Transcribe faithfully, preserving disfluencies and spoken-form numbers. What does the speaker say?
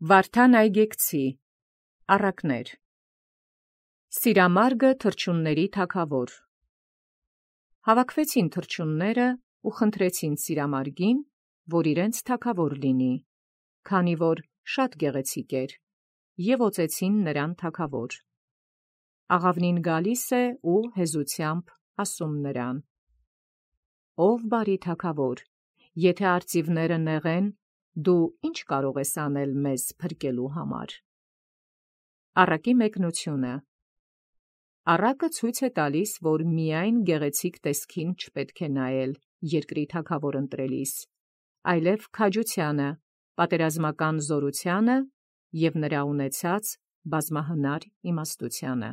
Վարդան այգեկցի առակներ։ Սիրամարգը թռչունների թագավոր։ Հավաքվեցին թռչունները ու խնդրեցին սիրամարգին, որ իրենց թագավոր լինի, քանի որ շատ գեղեցիկ էր, և օծեցին նրան թագավոր։ Աղավնին գալիս է ու հեզությամբ ասում նրան. «Ով բարի թագավոր, եթե արծիվները նեղեն, դու ի՞նչ կարող ես անել մեզ փրկելու համար»։ Առակի մեկնությունը։ Առակը ցույց է տալիս, որ միայն գեղեցիկ տեսքին չպետք է նայել երկրի թագավոր ընտրելիս, այլև քաջությանը, պատերազմական զորությանը և նրա ունեցած բազմահնար իմաստությանը։